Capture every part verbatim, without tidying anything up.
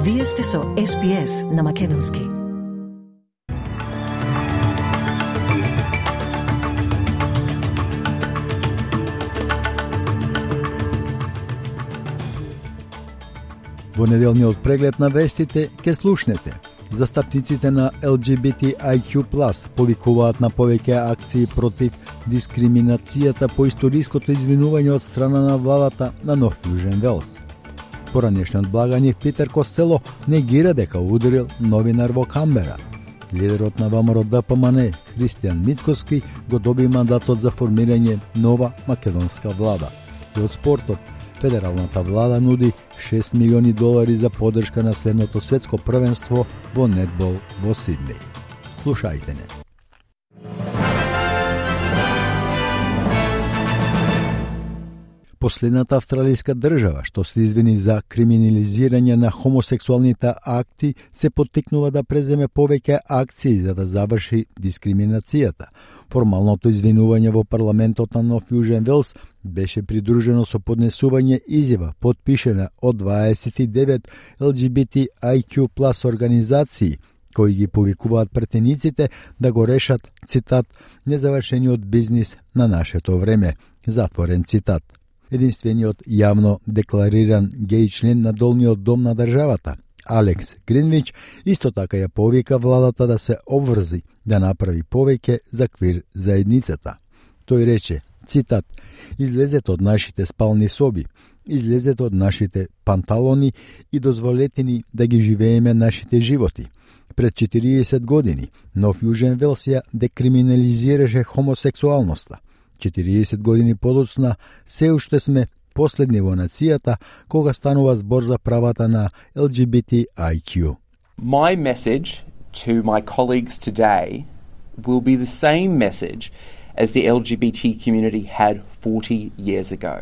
Вие сте со Ес Би Ес на Македонски. Во неделниот преглед на вестите ке слушнете. Застапниците на Ел Џи Би Ти Ај Q плюс повикуваат на повеќе акции против дискриминацијата по историското извинување од страна на владата на Нов Јужен Велс. Поранешниот благаник Питер Костело негира дека ударил новинар во Камбера. Лидерот на ВМРО Д П М Н Христијан Мицкоски го доби мандатот за формирање нова македонска влада. И од спортот, федералната влада нуди шест милиони долари за поддршка на следното светско првенство во нетбол во Сиднеј. Слушајте не. Последната австралијска држава што се извини за криминализирање на хомосексуалните акти се поттикнува да преземе повеќе акции за да заврши дискриминацијата. Формалното извинување во парламентот на Нов Јужен Велс беше придружено со поднесување изјава потпишена од дваесет и девет Ел Џи Би Ти Ај Q плюс организации кои ги повикуваат претениците да го решат, цитат, незавршениот бизнис на нашето време, затворен цитат. Единствениот јавно деклариран геј член на долниот дом на државата, Алекс Гринвич, исто така ја повика владата да се обврзи да направи повеќе за квир заедницата. Тој рече, цитат, излезете од нашите спални соби, излезете од нашите панталони и дозволете ни да ги живееме нашите животи. Пред четириесет години Нов Јужен Велс ја декриминализираше хомосексуалноста. четириесет години подоцна се уште сме последни во нацијата кога станува збор за правата на Ел Џи Би Ти Ај Q. My message to my colleagues today will be the same message as the L G B T community had forty years ago.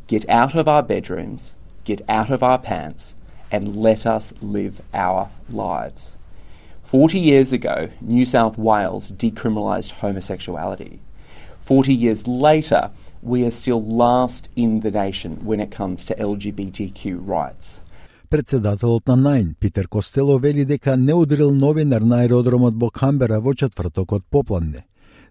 Get out of our bedrooms, get out of our pants, and let us live our lives. forty years ago, New South Wales decriminalised homosexuality. forty years later, we are still last in the nation when it comes to L G B T Q rights. Председателот на Најн, Питер Костело, вели дека не удрил новинар на аеродромот во Камбера во четвртокот попладне.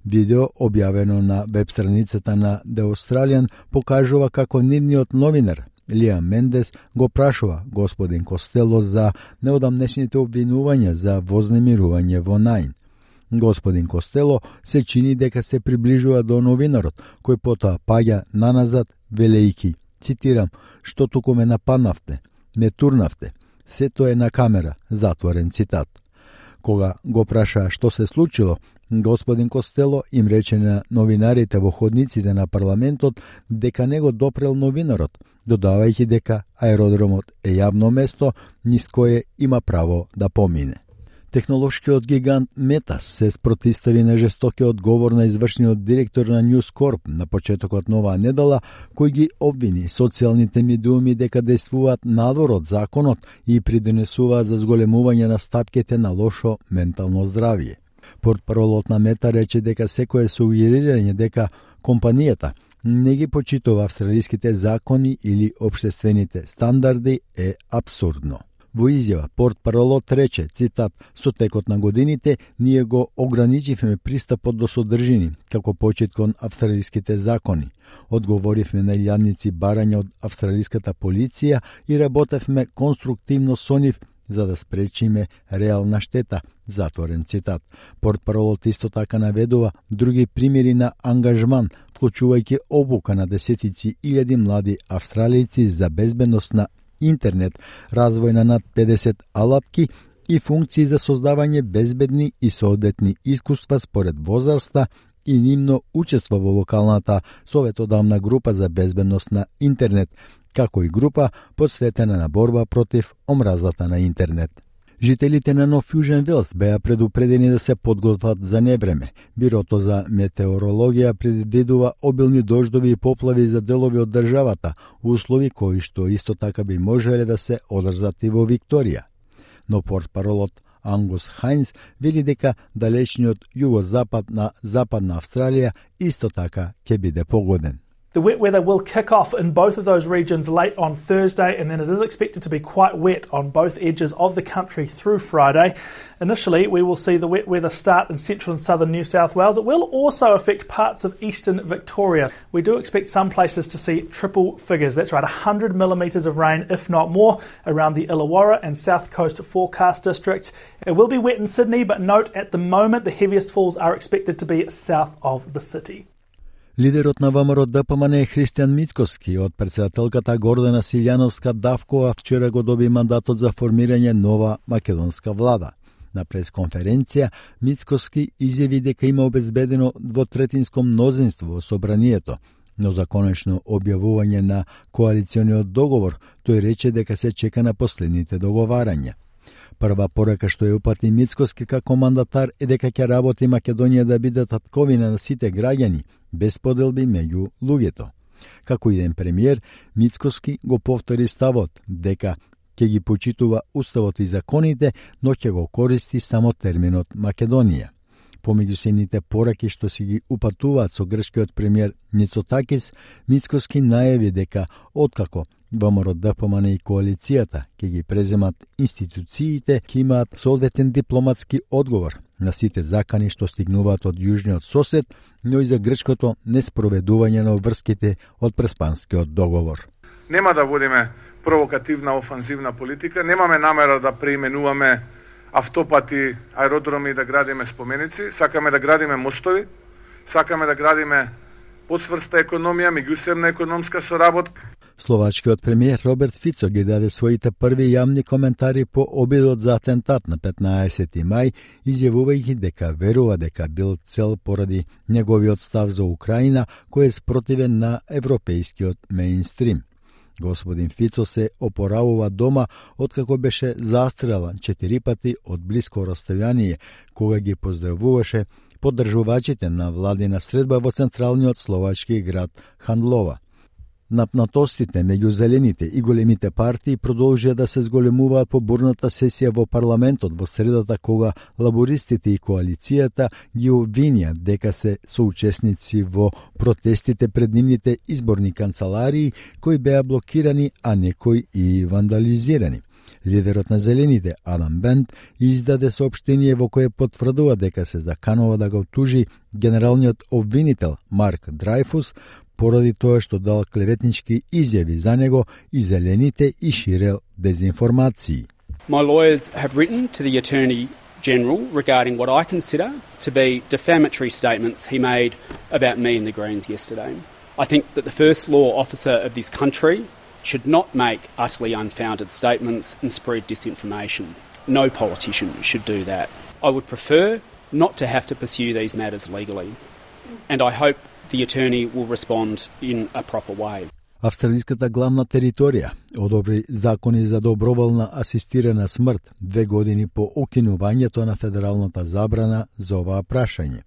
Видео објавено на веб страницата на The Australian покажува како нивниот новинар Лиам Мендес го прашува господин Костело за неодамнешните обвинувања за вознемирување во Најн. Господин Костело се чини дека се приближува до новинарот, кој потоа паѓа наназад, велејки, цитирам, што туку ме нападнавте, ме турнавте, сето е на камера, затворен цитат. Кога го праша што се случило, господин Костело им рече на новинарите во ходниците на парламентот дека не го допрел новинарот, додавајќи дека аеродромот е јавно место низ кое има право да помине. Технолошкиот гигант Мета се спротистави на жестокиот говор на извршниот директор на News Corp на почетокот на оваа недела, кој ги обвини социјалните медиуми дека действуваат надвор од законот и придонесуваат за зголемување на стапките на лошо ментално здравје. Портпаролот на Мета рече дека секое сугерирање дека компанијата не ги почитува австралиските закони или општествените стандарди е апсурдно. Во изјава, портпаролот рече, цитат, со текот на годините ние го ограничивме пристапот до содржини, како почит кон австралиските закони. Одговоривме на илјадници барања од австралиската полиција и работевме конструктивно со нив за да спречиме реална штета, затворен цитат. Портпаролот исто така наведува други примери на ангажман, вклучувајќи обука на десетици илјади млади австралијци за безбедност на интернет, развој на над педесет алатки и функции за создавање безбедни и соодветни искуства според возраста и нивно учество во локалната советодавна група за безбедност на интернет, како и група посветена на борба против омразата на интернет. Жителите на Нов Јужен Велс беа предупредени да се подготват за невреме. Бирото за метеорологија предвидува обилни дождови и поплави за делови од државата, услови кои што исто така би можеле да се одржат и во Викторија. Но портпаролот Ангус Хајнс вели дека далечниот југозапад на Западна Австралија исто така ќе биде погоден. The wet weather will kick off in both of those regions late on Thursday, and then it is expected to be quite wet on both edges of the country through Friday. Initially, we will see the wet weather start in central and southern New South Wales. It will also affect parts of eastern Victoria. We do expect some places to see triple figures. That's right, one hundred millimetres of rain, if not more, around the Illawarra and South Coast forecast districts. It will be wet in Sydney, but note at the moment the heaviest falls are expected to be south of the city. Лидерот на ВМРО-ДПМН Христијан Мицкоски од председателката Гордана Силјановска Давкова вчера го доби мандатот за формирање нова македонска влада. На пресконференција Мицкоски изјави дека има обезбедено двотретинско мнозинство во собранието, но за конечно објавување на коалициониот договор тој рече дека се чека на последните договарања. Прва порака што ја упати Мицкоски како мандатар е дека ќе работи Македонија да биде татковина на сите граѓани, без поделби меѓу луѓето. Како иден премиер, Мицкоски го повтори ставот дека ќе ги почитува уставот и законите, но ќе го користи само терминот Македонија. Помеѓу сените пораки што си ги упатуваат со грчкиот премиер Мицотакис, Мицкоски најави дека откако ВМРО-ДПМН и коалицијата ќе ги преземат институциите, ќе имаат соодветен дипломатски одговор на сите закани што стигнуваат од јужниот сосед, но и за грчкото неспроведување на врските од Преспанскиот договор. Нема да водиме провокативна офанзивна политика, немаме намера да преименуваме автопати, аеродроми и да градиме споменици, сакаме да градиме мостови, сакаме да градиме подсврста економија, меѓусебна економска соработка. Словачкиот премиер Роберт Фицо ги даде своите први јавни коментари по обидот за атентат на петнаесети мај, изјавувајќи дека верува дека бил цел поради неговиот став за Украина, кој е спротивен на европејскиот мејнстрим. Господин Фицо се опоравува дома откако беше застрелан четири пати од блиско растојание, кога ги поздравуваше поддржувачите на владина средба во централниот словачки град Хандлова. Напнатостите меѓу зелените и големите партии продолжија да се зголемуваат по бурната сесија во парламентот во средата, кога лабористите и коалицијата ги обвинија дека се соучесници во протестите пред нивните изборни канцеларии, кои беа блокирани, а некои и вандализирани. Лидерот на Зелените, Адам Бент, издаде соопштение во кое потврдува дека се заканува да го тужи генералниот обвинител Марк Драйфус поради тоа што дал клеветнички изјави за него и Зелените и ширел дезинформации. My lawyers have written to the Attorney General regarding what I consider to be defamatory statements he made about me and the Greens yesterday. I think that the first law officer of this country should not make utterly unfounded statements and spread disinformation. No politician should do that. I would prefer not to have to pursue these matters legally. And I hope the attorney will respond in a proper way. Австралиската главна територија одобри закони за доброволна асистирана смрт две години по укинувањето на федералната забрана за оваа прашање.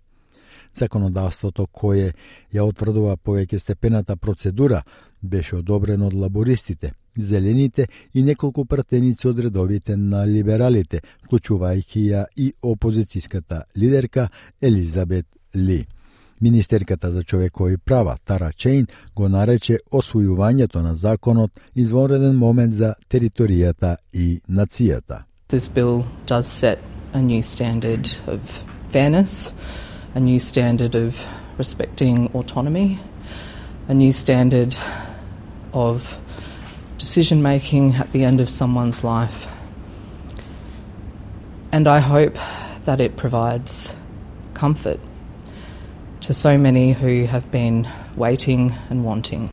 Законодавството кое ја утврдува повеќе степената процедура беше одобрено од лабористите, зелените и неколку пратеници од редовите на либералите, вклучувајќи ја и опозицијската лидерка Елизабет Ли. Министерката за човекови права Тара Чейн го нарече освојувањето на законот извонреден момент за територијата и нацијата. This bill does set a new standard of fairness, a new standard of respecting autonomy, a new standard of decision making at the end of someone's life. And I hope that it provides comfort to so many who have been waiting and wanting.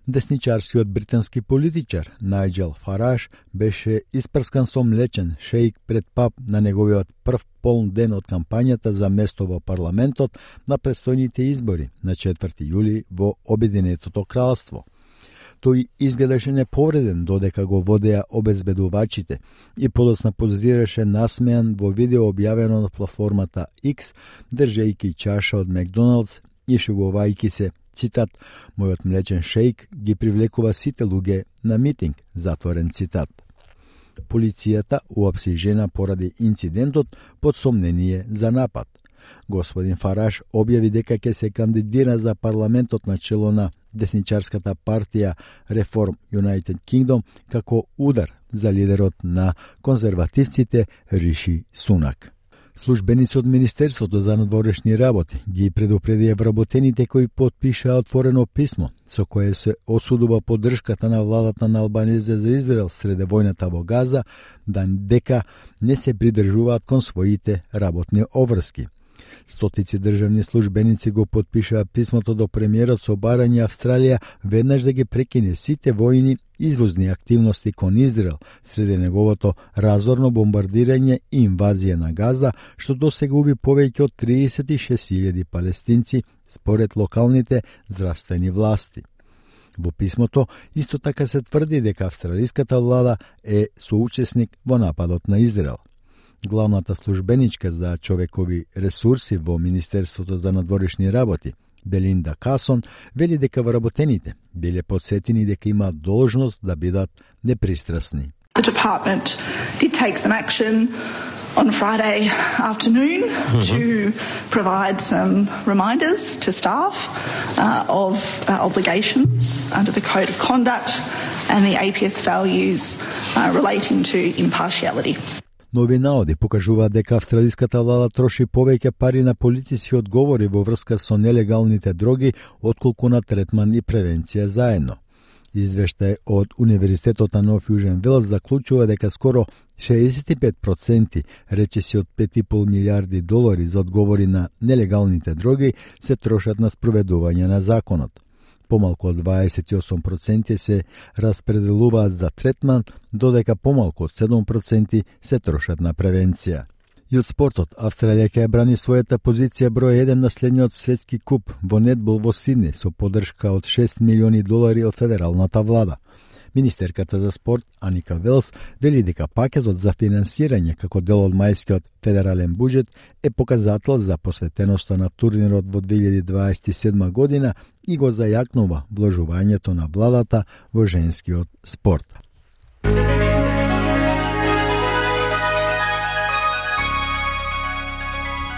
Десничарскиот британски политичар Најджел Фараш беше испрскан со млечен шејк пред пап на неговиот прв полн ден од кампањата за место во парламентот на предстојните избори на четврти јули во Обединетото кралство. Тој изгледаше неповреден додека го водеа обезбедувачите и подоцна позираше насмеан во видео објавено на платформата X, држејќи чаша од Макдоналдс и шугувајќи се, цитат, мојот млечен шејк ги привлекува сите луѓе на митинг, затворен цитат. Полицијата уапси жена поради инцидентот под сомнение за напад. Господин Фараш објави дека ќе се кандидира за парламентот на чело на десничарската партија Reform United Kingdom како удар за лидерот на конзервативците Риши Сунак. Службеници од Министерството за надворешни работи ги предупредија вработените кои потпишаа отворено писмо со кое се осудува поддршката на владата на Албанезе за Израел среде војната во Газа, да дека не се придржуваат кон своите работни обврски. Стотици државни службеници го потпишаа писмото до премиерот со барање Австралија веднаш да ги прекине сите војни извозни активности кон Израел среде неговото разорно бомбардирање и инвазија на Газа, што досега уби повеќе од триесет и шест илјади палестинци според локалните здравствени власти. Во писмото исто така се тврди дека австралиската влада е соучесник во нападот на Израел. Главната службеничка за човекови ресурси во Министерството за надворешни работи, Белинда Касон, вели дека вработените биле подсетени дека имаат должност да бидат непристрасни. The department did take some action on Friday afternoon mm-hmm. to provide some reminders to staff uh, of uh, obligations under the Code of Conduct and the A P S values uh, relating to impartiality. Нови наоди покажуваат дека австралиската влада троши повеќе пари на полициски одговори во врска со нелегалните дроги, отколку на третман и превенција заедно. Извештај од Универзитетот на Нов Јужен Велс заклучува дека скоро шеесет и пет проценти, речиси од пет и пол милиарди долари за одговори на нелегалните дроги, се трошат на спроведување на законот. Помалку од дваесет и осум проценти се распределуваат за третман, додека помалку од седум проценти се трошат на превенција. И од спортот, Австралија ќе брани својата позиција број еден на следниот светски куп во нетбол во Сидни со поддршка од шест милиони долари од федералната влада. Министерката за спорт Аника Велс вели дека пакетот за финансирање како дел од мајскиот федерален буџет е показател за посветеноста на турнирот во две илјади дваесет и седма година и го зајакнува вложувањето на владата во женскиот спорт.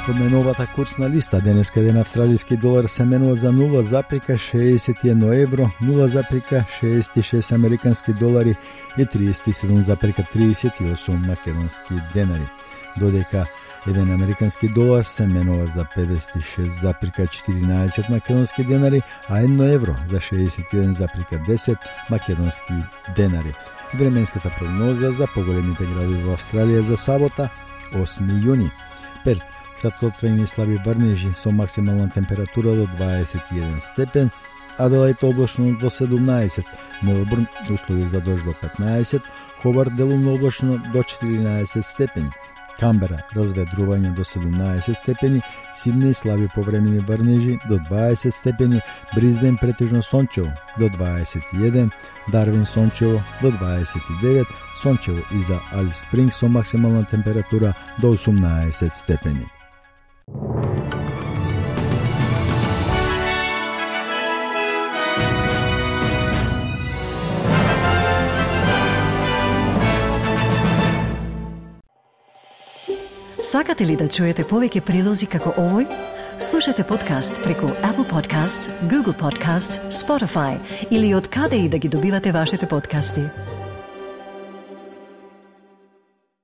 Обменовата курсна листа денеска еден австралиски долар се менува за нула запирка шеесет и едно евро, нула запирка шеесет и шест американски долари и триесет и седум запирка триесет и осум македонски денари, додека еден американски долар се менува за педесет и шест запирка четиринаесет македонски денари, а едно евро за шеесет и еден запирка десет македонски денари. Временската прогноза за поголемите градови во Австралија за сабота, осми јуни. Перт, краткотрајни слаби врнежи со максимална температура до дваесет и еден степен, Аделаид облачно до седумнаесет, Мелбурн услови за дожд до петнаесет, Хобарт делумно облачно до четиринаесет степени, Камбера разведрување до седумнаесет степени, Сиднеј слаби повремени врнежи до дваесет степени, Бризбен претежно сончево до дваесет и еден, Дарвин сончево до дваесет и девет, сончево и за Алис Спрингс со максимална температура до осумнаесет степени. Сакате ли да чуете повеќе прилози како овој? Слушате подкаст преку Apple Podcasts, Google Podcasts, Spotify или од каде и да ги добивате вашите подкасти.